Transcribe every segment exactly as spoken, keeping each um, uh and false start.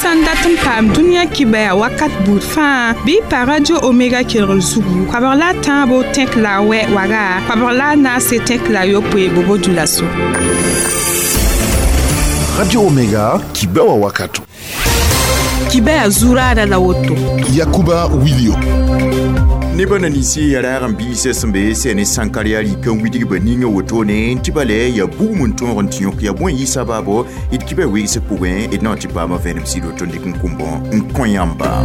Sã n dat n paam dũniyã kibɛa wakat buud fãa bɩ y pa Radio Omega kelgr zugu koabg la a tãabo tẽk la a wɛ waga koabg la a naase tẽk la a yopoe bobo dulaso. Radio Omega kibɛwa wakato. Kibɛa zuraada la woto. Yakuba Wilio. Neba na ninsi ya raag n biisã sẽn be sẽn ne sãnkar yaa rɩk n widg ba ninga wotone tɩ ba lɛ ya bugum n tõog n tɩ yõk ya bõe yɩ sabaabo d kibã wegs pʋgẽ d na n tɩ paama vẽenem sɩd woto n dɩk n kʋm-bõ n kõ yãmba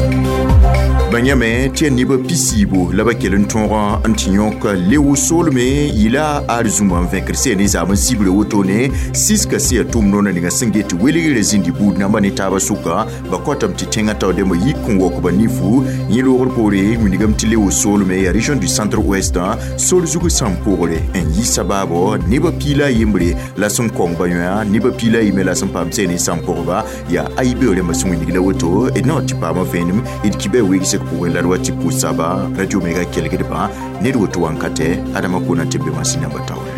ba yãme tɩ yaa nebã pisiibo la ba kell n tõog n tɩ yõk leo soolme yɩla arzũma n vẽkd sẽn ne zaam n sibra wotone siska sẽn yaa tʋʋm noona ninga sẽn get welgrã zĩndi buud namba ne taabã sʋka ba kõtame tɩ tẽngã tao dẽmba yik n waok ba nifu yẽ loogr poore wilgame tɩ leo soolme yaa région du centre ouest sol zug sãn pʋgre n yi sabaabo nebã piila a yembre la sẽn kong ba yõa nebã piila a yembre la sẽn paam sẽn ne sãn pʋgba yaa ayibe rẽmbã sẽn wilg la woto d na n tɩ paama vẽenem d kibã wegsg pʋgẽ la d wa tɩ pʋ-saba Radio Omega kelgdbã ned woto wankatɛ adama kona tɩ b be masĩnã ba taoore.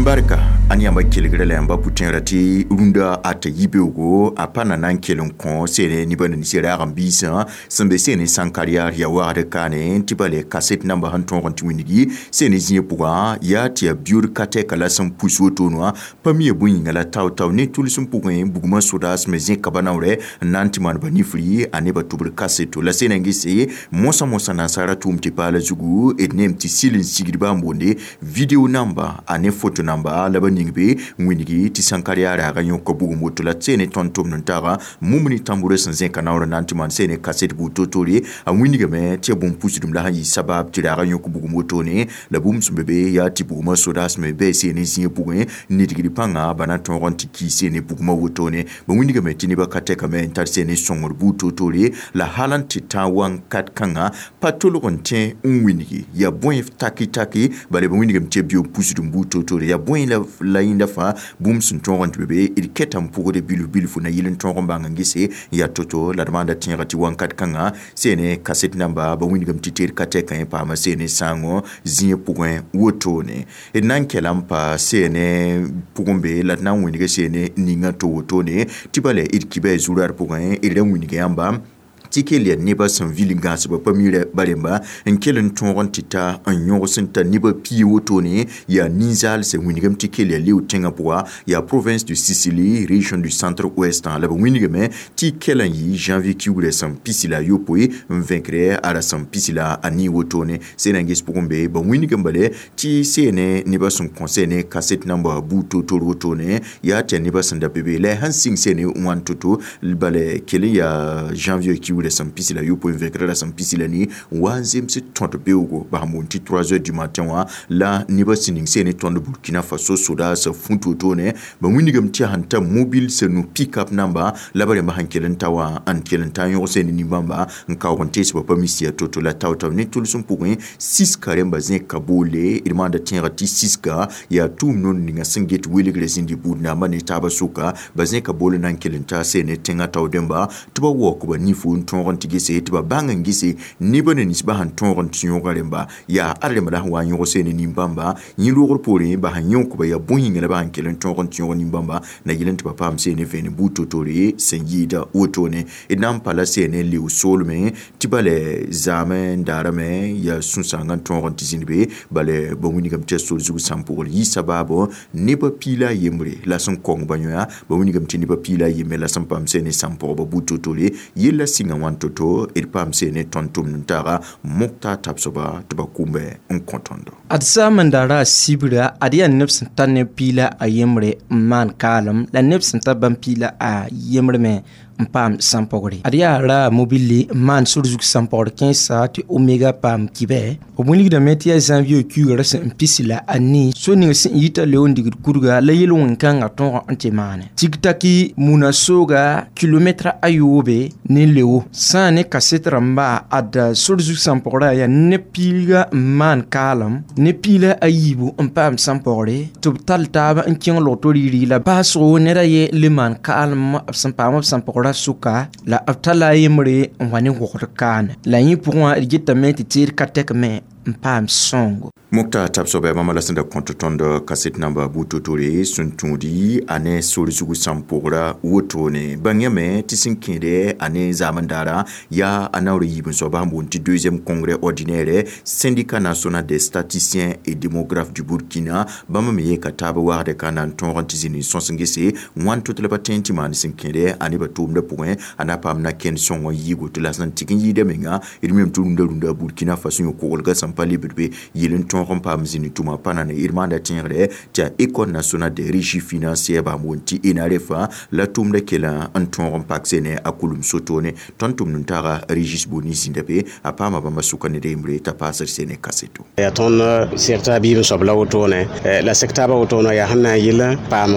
Barka an yãmba kelgrã la yãmba pʋ-tẽerã tɩ rũndã a t'a yibeoogo a pa na na n kell n kõ seene nebã nins raag n biisã sẽn be seene sãnkar yaar yaa wagd kaane tɩ ba le kaset namba sẽn tõog n tɩ wĩndgi seene zĩig pʋgã yaa tɩ yaa biood ka tɛka la sẽn pus wotone wã pa mi ya bõe yĩnga la tao-tao ne tʋls n pʋgẽ bugmã sodaas me zẽka ba naoorɛ n na n tɩ maan ba nifri a nebã tʋbr kaseto la seena n gese mosã mosã nansara tʋʋm tɩ paala zugu d neem tɩ sɩl n sigdba n boonde video namba a ne foto namba la ba ning be wĩndgi tɩ sãnkar yaa raaga yõka bugum woto la seene tõnd tʋmd n taga mum ne tãmburã sẽn zẽka naoor n na n tɩ maan seene kaset buud to-tore a wĩndgame tɩ yaa bũmb-pusdem la sẽn yɩ sabab tɩ raaga yõk bugum wotone la bũmb sẽn be be yaa tɩ bugmã sodaas me bɩ seene zĩig pʋgẽ nidgd pãnga ba na tõog n tɩ kii seene bugmã wotone ba wĩndgame tɩ nebã ka tɛkame n tar seene sõngr buud to-tore la hal n tɩ tã wãnkat kãnga pa tolg n tẽ n wĩndgi yaa bõe taki-taki bala ba wĩndgame tɩ yaa bio-pusdem buud to-tore yaa bõe la la yẽnda fãa bũmb sẽn tõog n tɩ be be d kɛta n pʋgde bilf bilfu na yɩl n tõog n bãng n gese yaa to-to la d maanda tẽega tɩ wãnkat kãngã seene kaset namba ba wĩndgame tɩ teed ka tɛkã yẽ paama seene sãango zĩig pʋgẽ wotone d na n kɛla n pa seene pʋgẽ be la d na n wĩndga seene ninga to wotone tɩ ba la d kibã zurad pʋgẽ d ra wĩndga yãmba tɩ kell yaa nebã sẽn vil n gãasba pa mira ba rẽmba n kell n tõog n tɩ ta n yõgs n ta nebã pii wotone yaa ninzaalsã wĩndgame tɩ kell yaa leo tẽngã pʋga yaa province de Sicily région du centre ouest la ba wĩndgame tɩ kell n yɩ janvier kiugrã sẽn pisi la a yopoe n vẽkre a ra sẽn pisi la a nii wotone seena n ges pʋgẽ be ba wĩndgame bale tɩ seene nebã sẽn kõ seene kaset namba buud to-tor wotone yaa tɩ yaa nebã sẽn da be be la a sãn sɩng seene wãn to-to bala kell n yaa janvier kiugrã sẽn pisi la yopoe n vẽkra la sẽn pisi la ni wa n zems tõd beoogo ba sẽn boond tɩ trois heures du matin wã la nebã sẽn ning seene tõnd Burkina Faso sodaasã fũt wotone ba wĩndgame tɩ yaa sẽn ta mobile sẽn nu pick-up namba la ba rẽmba sẽn kell n ta wã n kell n ta n yõg seene nin-bãmba n kaoog n tees ba pa mis yaa to-to la tao-tao ne tʋls n pʋgẽ siska rẽmba zẽka boole d maanda tẽega tɩ siska yaa tʋʋm noor ninga sẽn get welgrã zĩndi buud namba ne taabã sʋka ba zẽka bool na n kell n ta seene tẽngã tao dẽmba tɩ ba waook ba nifu n tõog n tɩ gese tɩ ba bãng n gese nebã ne ninsbã sẽn tõog n tɩ yõoga rẽmba yaa ad rẽmba la sẽn wa n yõg seene nin-bãmba yẽ loogr poorẽ ba sẽn yõkba yaa bõe yĩnga la ba sẽn kell n tõog n tɩ yõg nin-bãmba na yɩl n tɩ ba paam seene vẽenem buud to-tore sẽn yɩɩda wotone d na n pa la seene leo soolmẽ tɩ ba la zaam n daarame yaa sũ-sãangã n tõog n tɩ zĩnd be bala ba wĩndgame tɩ yaa sor zug sãn pʋgr yɩ sabaabo nebã piila a yembre la sẽn kong ba yõa ba wĩndgame tɩ nebã piila a yembre la sẽn paam seene sãn pʋgba buud to-tore yella sɩnga wãn to-to d paam seene tõnd tʋmd n taaga mokta tabsba tɩ ba kʋmbe n kõ tõndo ad saam n daara a sibra ad yaa neb sẽn tar ne piila a yembre n maan kaalem la neb sẽn tar bãmb piila a yembre me n paam sãn-pɔgre ad yaa ra mobile n maan sor zug sãn-pɔgr kẽesa tɩ Omega paam kibɛ b wilgdame tɩ yaa janvier kiugrã sẽn n pisi la a nii so ning sẽn yita leo n digd kurga la yel-wẽn-kãngã tõog n tɩ maane tik-taki muna sooga kilometra ayoobe ne leo sã ne kaset rãmba ad sor zug sãn-pɔgrã yaa ne piilga n maan kaalem ne piila a yiibu n paam sãn-pɔgre tɩ b tall taab n kẽng log to rɩɩ la baasgo ned a ye le maan kaalem b sẽn paam b sãn-pɔgrã sʋka la b talla a yembre n wa ne wogd kaane la yẽ pʋgẽ wã d getame tɩ teed ka tɛk me n paam sõngo. Mokta tabsoba bãmba la sẽn da kõt tõnd kaset namba bu-totore sẽn tũudi a ne sor zugu sãn pʋgra wotone. Bãng yame tɩ sẽn kẽede a ne zaamend-daara yaa a naoor yiib n soaba sẽn boond tɩ deuxième congrès ordinaire Syndicat national des statisticiens et démographes du Burkina. Bãmb me yeka taab wagdɛ ka na n tõog n tɩ zĩnd n sõs n gese wãn to tɩ la pa tẽ tɩ maan sẽn kẽede a nebã tʋʋmdã pʋgẽ a na paam na kẽnd sõng n yiigo tɩ la sẽn tɩg n yɩɩda menga d mem tɩ rũndã rũndã Burkina Faso yõ kogelgã sẽn pa lebd be yel n tõog n paam zĩnd tʋma pa na ne d maanda tẽegre tɩ a École nationale des régies financières bãmb wʋn tɩ ENAREF la tʋʋmdã kelã n tõog n pak sene a kulum sotone. Tõnd tʋmd n taga Régis Boni zĩnda be a paama bãmba sʋka ned yembre t'a paasd sene kaseto. Yaa tõnd sɛk biib n soab la wotone, la sɛk taabã wotone yaa sẽn na n yɩl paam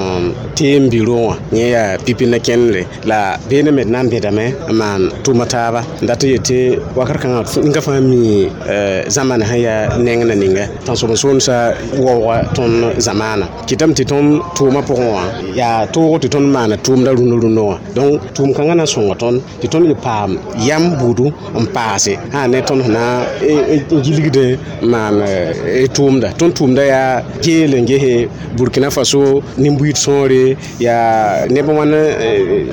teem biro wã, yẽ yaa pipi na kẽndre la beene me d na n bẽdame n maan tʋma taaba n dat n yetɩ wakat kãngã ninga fãa mi zãmane sẽn yaa neng na ninga tãnsoben-soolmsã waooga tõnd zamaana kɩtame tɩ tõnd tʋʋmã pʋgẽ wã yaa toog tɩ tõnd maana tʋʋmda rũndã rũndã wã. Donc tʋʋm kãngã na sõnga tõnd tɩ tõnd yɩ paam yam buudu n paase sã ne tõnd sẽn na n gilgd maan tʋʋmda. Tõnd tʋʋmda yaa geel n gese Burkina Faso nin-buiid sõore, yaa neb wãn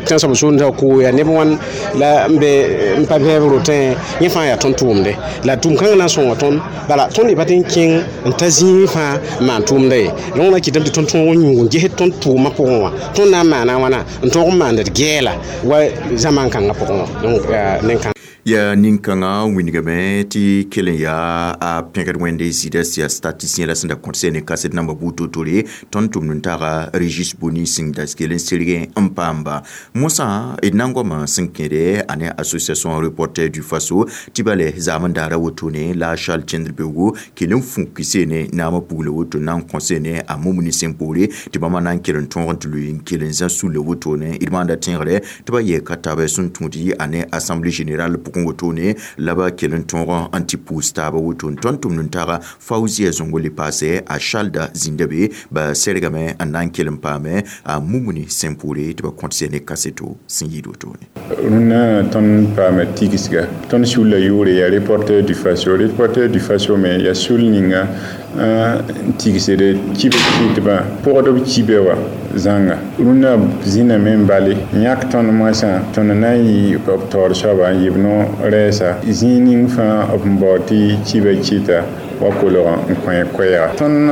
tãnsoab-soolmsã koo, yaa neb wãn la n be n pa bɛɛb rotẽ, yẽ fãa yaa tõnd tʋʋmde la tʋʋm kãngã na n sõnga tõnd. Bala tõnd y pa tɩ n kẽng n ta zĩig fãa n maan tʋʋmda ye. Donc na kɩtame tɩ tõnd tõog n yũug n ges tõnd tʋʋmã pʋgẽ wã, tõnd na n maana wãna n tõog n maand d gɛɛla wa zamaan kãngã pʋgẽ wã. Donc nen-kãng yaa nin-kãngã wingame tɩ kell n yaa a pẽgd wẽnde zɩɩda sɩ statisticien la sẽn da kõt sene kaset namba bu-totore. Tõnd tʋmd n taga Régis Boni sẽn da kell n serg n paamba mosã d na n goamã sẽn kẽede a ne Association Reporter du Faso tɩ bale zaamend-daara wotone la Charles Tẽndr beoogo kell n fũk sene naamã pugla woto na n kõ sene a mumni sẽn poore tɩ bãmba na n kell n tõog n tɩ lʋɩ n kell n zã sulla wotone. D maanda tẽegre tɩ ba yɛɛka taab sẽn tũudi a ne assemblée générale pʋgẽ wotone la ba kell n tõog n tɩ pʋʋs taaba wotone. Tõnd tʋmd n taga Faouzia Zongo le paase a Charles zĩnda be ba sergame n na n kell n paame a mumni sẽn poore tɩ ba kõt sene kaseto sẽn yɩɩd wotone. Rũnnã tõnd paama tigsga tõnd sulla yʋʋre yaa Reporter du Faso. Reporter du Faso me yaa sul ninga n tigsd kibã kɩtbã pʋgdb kibe wã zãnga. Rũnnã zĩname n bale yãk tõnd moasã tõnd na n yɩ b taoor soaba n yɩ b no-rɛɛsa zĩig ning fãa b n bao tɩ kibã kɩta wa kolg n kõ koɛɛga. Tõnd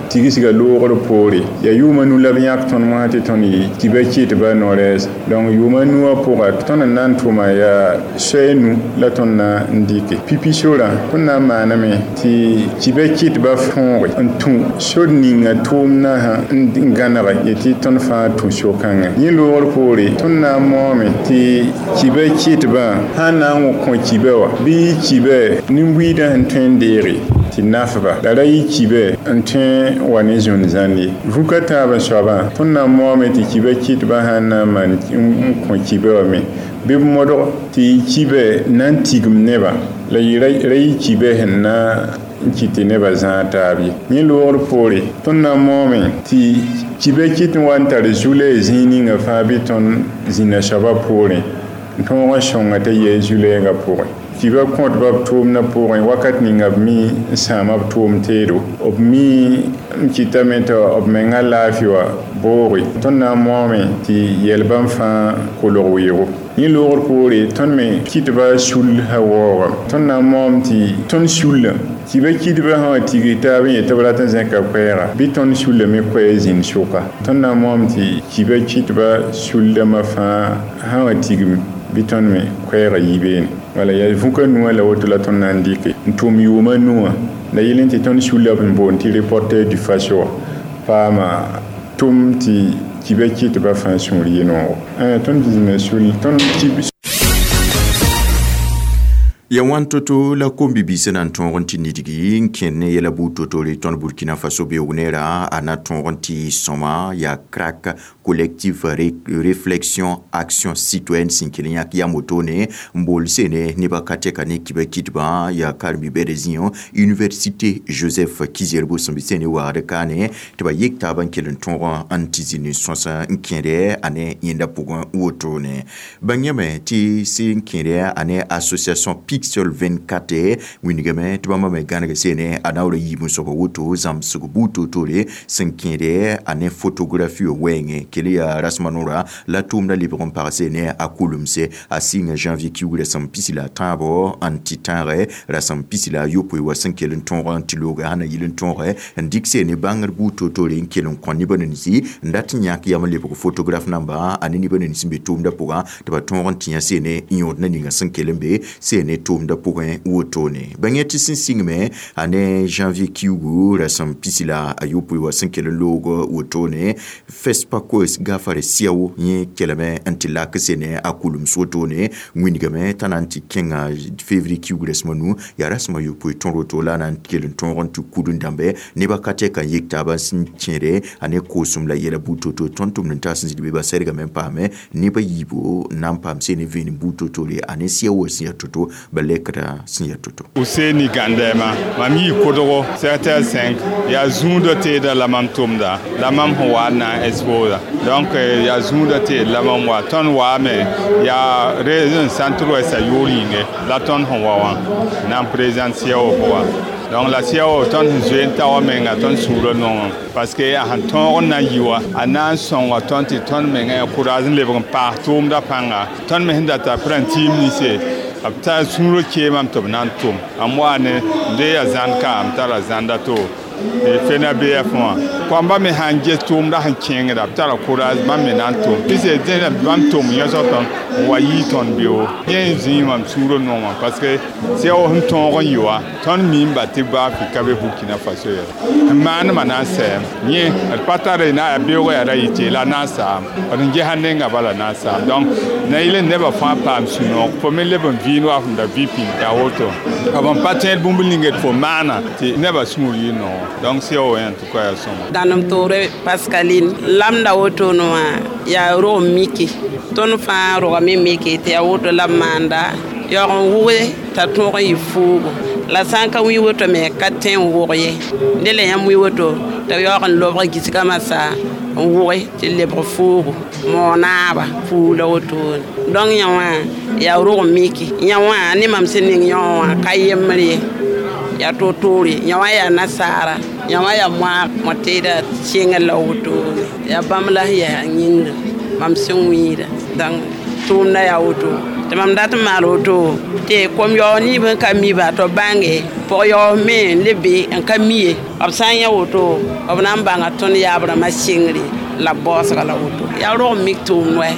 tigsga loogr poore yaa yʋʋma nu la b yãk tõnd moasã tɩ tõnd yɩ kibã kɩtbã no-rɛɛsa. Donc yʋʋma nuwã pʋga tõnd n na n tʋma yaa soay nu la tõnd na n dɩke pipi sorã. Tõnd na n maaname tɩ kibã kɩtbã fõoge n tũ sor ninga tʋʋmdã sã n gãnege yetɩ tõnd fãa tũ so-kãngã. Yẽ loogr poore tõnd na n maoome tɩ kibã kɩtbã sã n na n kõ kibã wã bɩ kibã nin-buiidã sẽn tõe n deege tɩ nafba la ra yɩ kibã n tõe n wa ne zũn-zãnd ye. Vuka taab n soabã tõnd na n maoome tɩ kibã kɩtbã sã n na n maan n kõ kibã wã me bɩ b modg tɩ kibã na n tigim nebã la ra yɩ kibã sẽn na n kɩt tɩ nebã zãag taab ye. Yẽ loogr poore tõnd na n maoome tɩ kibã kɩt n wa n tar zu-lɛɛ zĩig ninga fãa bɩ tõnd zĩnã soabã poorẽ n tõog n sõnga t'a yɛɛ zu-lɛɛgã pʋgẽ. Kibã kõtba b tʋʋmdã pʋgẽ wakat ninga b mi n sãama b tʋʋm teedo, b mi n kɩtame tɩ b mengã laafɩ wã booge. Tõnd na n maoome tɩ yɛl bãmb fãa kolg weoogo. Yẽ loogr poore tõnd me kɩtba sul sã waoogame. Tõnd na n maoom tɩ tõnd sullã kibã kɩtbã sã wã tigg taab n yet tɩ b rat n zẽka koɛɛga bɩ tõnd sulla me koɛɛ zĩnd sʋka. Tõnd na n maoom tɩ kibã kɩtba suldãmbã fãa sã wã tigim bɩ tõnd me koɛɛga yi beene. Wala yaa vũka nuwã la woto la tõnd na n dɩke n tʋm yʋʋma nuwã la yɩl n tɩ tõnd sulla b n boond tɩ Reporter du Faso wã paama tʋm tɩ kibã kɩtbã fãa sũur yɩ noogo. Tõnd zĩnã sul tõnd kib ya wãn to-to la kom-bibiisã na n tõog n tɩ nidgi n kẽnd ne yɛla buud to-tore tõnd Burkina Faso beoog neerã a na tõog n tɩ sõma yaa CRAC, Collectif Réflexion Action Citoyenne, sẽn kell n yãk yam wotone n bool sene nebã ka tɛka ne kibã kɩtbã yaa karen-bi-bɛda zĩyõ Université Joseph Ki-Zerbo sẽn be sene wagd kaane tɩ ba yek taab n kell n tõog n tɩ zĩnd n sõs n kẽede a ne yẽnda pʋgẽ wotone. Bãng yame tɩ sẽn kẽede a ne association P I C Pixel vingt-quatre wingame tɩ bãmba me gãneg seene a naoor a yiib n soaba woto zãmsg buud toor-toore sẽn kẽede a ne photographie wɛɛngẽ kell yaa rasma noora la tʋʋmda lebg n pag seene a kulemse a sɩnga janvier kiugrã sẽn pisi la a tãabo n tɩ tãage rasem pisi la a yopoe wa sẽn kell n tõog n tɩ looga sã na yɩl n tõoge n dɩk seene bãngr buud toor-toore n kell n kõ nebã ninsi n dat n yãk yam n lebg photographe namba a ne nebã nins sẽn be tʋʋmdã pʋgã tɩ ba tõog n tɩ yã seene n yõod na ninga sẽn kell n be seene tʋʋmdã pʋgẽ wotone bãng tɩ sẽn sɩngme a ne janvier kiugu rasem pisi la a yopoe wa sẽn kell n loog wotone FESPACO gafare siao yẽ kelame n tɩ lak sene a kulems wotone wĩndgame t'a na n tɩ kẽnga février kiugu rasem a nu yaa rasem a yopoe tõr woto la a na n kell n tõog n tɩ kud n dãmbe nebã ka tɛka n yik taabã sẽn kẽede a ne koosem la yɛla buud to-to tõnd tʋmd n taas n zĩnd be ba sɛdgame n paame nebã yiibo n na n paam sene vẽenem buud to-toore a ne sia wa sẽn yaa to-to ba lɛkda sẽn yaa to-to. Useni Gandema mam yii kodgo sept heures cinq yaa zũudã teeda la mam tʋmda la mam sẽn wa n na n exposa donc yaa zũudã teed la mam wa tõnd waame yaa région centre ouest a yʋʋr yĩnge la tõnd sẽn wa wã na n présente C E A O pʋga donc la C E A O tõnd sẽn zoe n ta wa menga tõnd sũurã nongẽ parce que a sẽn tõog n na n yi wa a na n sõnga tõnd tɩ tõnd menga yaa courage n lebg n paas tʋʋmdã pãnga tõnd me sẽn data p rã n tiim ninse b tar sũurã keemame tɩ b na n tʋm am wa ne de yaa zãnd ka m tara zãnda to fena B F wã koamba me sãn ges tʋʋmdã sẽn kẽngda b tara courage bãmb me na n tʋm pɩse dẽna bãmb tʋm yõsg tõnd n wa yii tõnd beo yẽ zĩig mam sũurã nongã parce que C E A O sẽn tõog n yɩ wa tõnd miimba tɩ baa ka be Burkina Faso ye n maanema na n sɛɛm yẽ d pa tare na yaa beoogã yaa ra yɩ la na n saam d n gesa nenga bala na n saam donc na yɩl n nebã fãa paam sũ-noog fo me leb n vɩɩnd wa fõm da vɩ pĩnd yaa woto b n pa tẽed bũmb ning d fo maana tɩ nebã sũur yɩ noog donc C E A O en tout cas yaa sõma. Dãnem toore Pascaline lamda wotone wã yaa rog n mike tõnd fãa rogame mike tɩ yaa woto la b maanda yaoog n wʋge t'a tõog n yɩ fuugo la sã n ka wĩ woto me ka tẽ n wʋg ye dẽ la yãmb wĩ woto tɩ yaoog n lobg gisgã masã n wʋge tɩ lebg fuugo moonaaba fuug la wotone donc yã wã yaa rog n mike yã wã ne mam sẽn ning yõ wã ka yembr ye yaa toor-toore yã wã yaa nasaara yã wã yaa moag mõ-teeda sẽngr la wotone yaa bãmb la sẽn yaa yĩngr mam sẽn wĩida donc tʋʋmdã yaa woto tɩ mam dat n maal woto tɩ kom-yaoog niib n ka miba tɩ b bãnge pʋg-yaoog me n le be n ka mi ye b sã n yã woto b na n bãnga tõnd yaab rãmbã sɩngre la b baoosga la woto yaa rog n mik tʋʋmd wɛ.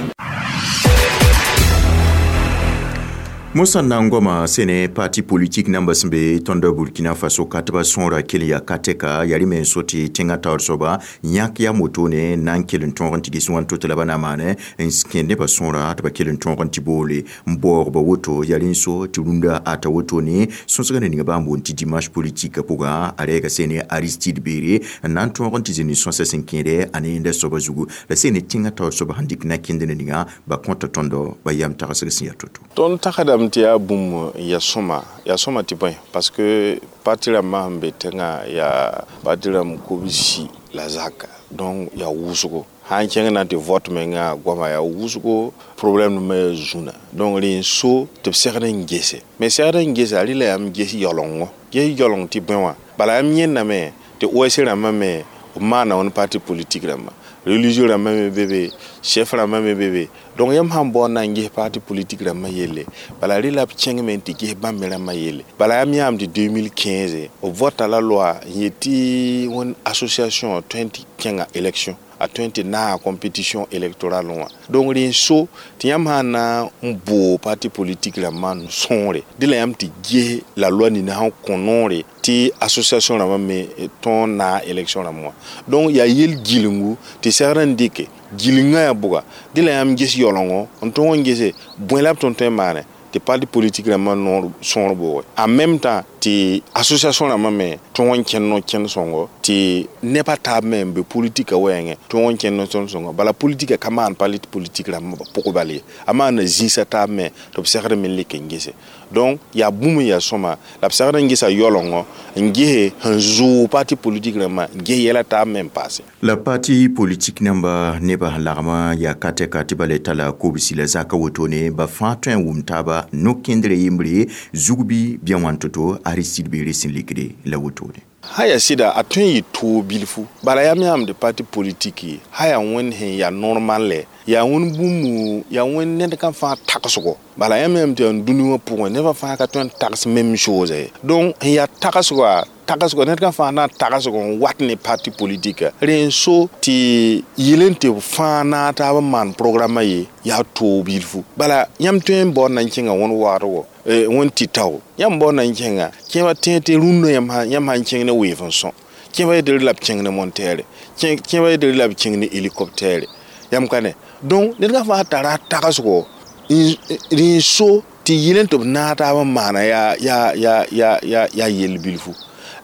Mosã n na n goama sene parti politique namba sẽn be tõnd Burkina Faso ka tɩ ba sõora kell yaa ka tɛka yaa rẽ me n so tɩ tẽngã taoor soaba yãk yaa motone n na n kell n tõog n tɩ ges wãn to tɩ la ba na maane n kẽed nebã sõora tɩ ba kell n tõog n tɩ boole n baoog ba woto yaa rẽ n so tɩ rũndã ata wotone sõsgã ne ninga bãmb boond tɩ dimanche politique pʋgã a rɛɛga sene Aristide Beere n na n tõog n tɩ zĩnd sõsa sẽn kẽede a ne yẽnda soaba zugu la sene tẽngã taoor soaba sẽn dɩk na-kẽnd ne ninga ba kõta tõndo ba yam tagsg sẽn yaa to-to. Tõnd tagsdame tɩ yaa bũmb ya sõma yaa sõma tɩ bõe parce que parti rãmbã sẽn be tẽngã yaa parti rãmb kobsi la zaka donc yaa wʋsgo sã n kẽng na n tɩ vote menga goama yaa wʋsgo problème me yaa zũna donc rẽ n so tɩ b segd n gese mais segd n gesa rɩla yãmb ges yaoolengõ ges yaooleng tɩ bõe wã bala yãmb yẽndame tɩ O S rãmbã me b maana wãn parti politique rãmbã religieux rãmbã me be be chef rãmbã me be be donc yãmb sãn bao n na n ges parti politique rãmbã yelle bala rɩ la b kẽngme n tɩ ges bãmb me rãmbã yelle bala yãmb yãam tɩ deux mille quinze b vota la loi n yet tɩ wẽn association tõe n tɩ kẽnga élection a tõe n tɩ naaga compétition électorale wã donc rẽ n so tɩ yãmb sã n na n boo parti politique rãmbã n sõore dẽ la yãmb tɩ ges la loi nina sẽn kõ noore tɩ association rãmbã me tõog n naag élection rãmb wã donc yaa yel gilngu tɩ segd n dɩke gilngã yaa bʋga dẽ la yãmb ges yaoolengõ n tõog n gese bõe la b tõnd tõe n maane tɩ parti politique rãmbã noor sõor booge en même temps tɩ association rãmbã me tõog n kẽnd no kẽnd sõngo tɩ neb a taab me n be politika wɛɛngẽ tõog n kẽnd no tõnd sõngo bala politika ka maan parti politique rãmbã pʋg bal ye a maana zĩisã taab me tɩ b segd me n lek n gese donc yaa bũmb n yaa sõma la b segd n gesa yaoolengõ n gese sẽn zʋʋg parti politique rãmbã n ges yɛla taab me n paase. La parti politique namba nebã sẽn lagmã yaa ka tɛka tɩ ba le tala kobsi la zaka wotone ba fãa tõe n wʋm taaba. taaba no-kẽndre yembre zug bɩ bɩa wãn to-to Aristide beere sẽn likde la wotone. Sã yaa sɩda a tõe n yɩ toog bilfu bala yaa me yãmb parti politique ye sã yaa wẽnd sẽn yaa normal lɛ yaa wẽnd bũmb yaa wẽnd ned ka fãa tagsgo bala yãmb yãmb tɩ yaa dũni wã pʋgẽ nebã fãa ka tõe n tags même chose ye donc sẽn yaa tagsga tagsgo ned ka fãa na n tagsg n wat ne parti politique rẽ n so tɩ yel n tɩ b fãa naag taab n maan programma ye yaa toog bilfu bala yãmb tõe n baood na n kẽnga wẽnd wagdgo wẽnd tɩ tao yãmb baood na n kẽnga kẽeba tẽ tɩ rũndã yãmb sãn kẽng ne weef n sõ kẽeba yetɩ la b kẽng ne montere kẽeba yetɩ la b kẽng ne hélicoptère yãmb ka ne donc ned ka fãa tara tagsgo rẽ n so tɩ yɩl n tɩ b naag taab n maana yaa yaa yaa yaa yaa yaa yell bilfu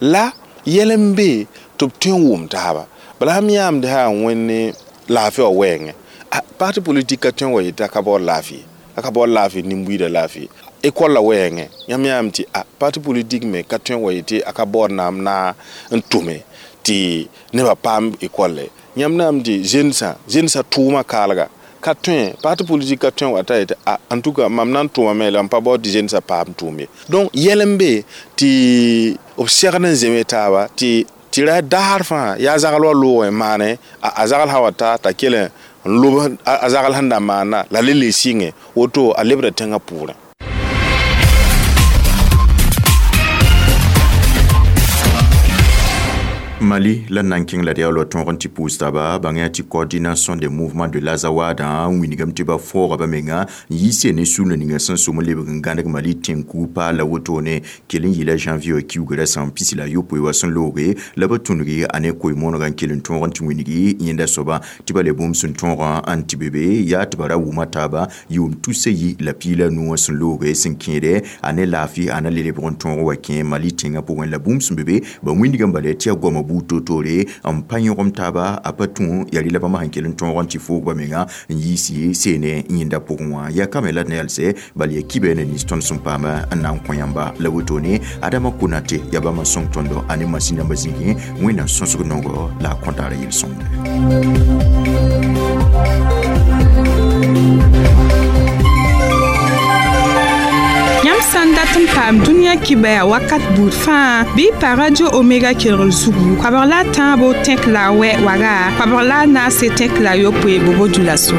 la yɛl n be tɩ b tõe n wʋm taaba bala sãm yãamd sã yaa wẽnd ne laafɩ wã wɛɛngẽ parti politique ka tõe n wa yetɩ a ka baood laafɩ a ka baood laafɩ nin-buiidã laafɩ école la wɛɛngẽ yãmb yãam tɩ a parti politique me ka tõe n wa yetɩ a ka baood naam na n tʋme tɩ nebã paam école yãmb naam tɩ zensã zensã tʋʋmã kaalga ka tõe parti politique ka tõe n wa t'a yetɩ a en tout cas mam na n tʋmame la m pa baood tɩ zensã paam tʋʋm ye donc yɛl n be tɩ b segd n zeme taaba tɩ tɩ ra daar fãa yaa zagl wa loogẽ maane a zagl sã wa ta t'a kell n lob a zagl sẽn da maana la le le sɩngẽ woto a lebda tẽngã pʋʋrẽ. Mali la nan kẽng la d yaa la tõog n tɩ pʋʋs taaba bãng tɩ coordination des mouvements de l'Azawad n wilgame tɩ ba fooga ba menga n yiise ne sũurã ninga sẽn sʋm n lebg n gãneg Mali tẽn-kuug paal la wotone kell n yɩla janvier kiugrã sã n pis la yopoe wa sẽn looge la ba tũngi a ne koe-moonegã n kell n tõog n tɩ wilgi yẽnda soaba tɩ ba le bũmb sẽn tõogã n tɩ be be yaa tɩ ba ra wʋma taaba yʋʋm tusa yi la piig la nu wã sẽn looge sẽn kẽede a ne laafɩ a na le lebg n tõog wa kẽ Mali tẽngã pʋgẽ la bũmb sẽn be be ba wĩndgame bala tɩ yaa goamã buud toor-toore n pa yõgem taaba a pa tũ yaa rɩ la bãmb sẽn kell n tõog n tɩ foog ba menga n yiis seene yẽnda pʋgẽ wã yaa kame la d na yalsɛ bal yaa kibe ne nins tõnd sẽn paama n na n kõ yãmba la wotone Adama Konate yaa bãmb n sõng tõndo a ne masin rãmbã zĩigẽ Wẽnnaam sõsg nongo la a kõtaara yel-sõmde. Yãmb sã n dat n paam dũniyã kibɛa wakat buud fãa bɩ pa Radio Omega kelgr zugu koabg la a tãabo tẽk la a wɛ waga koabg la a naase tẽk la a yopoe bobo dula so.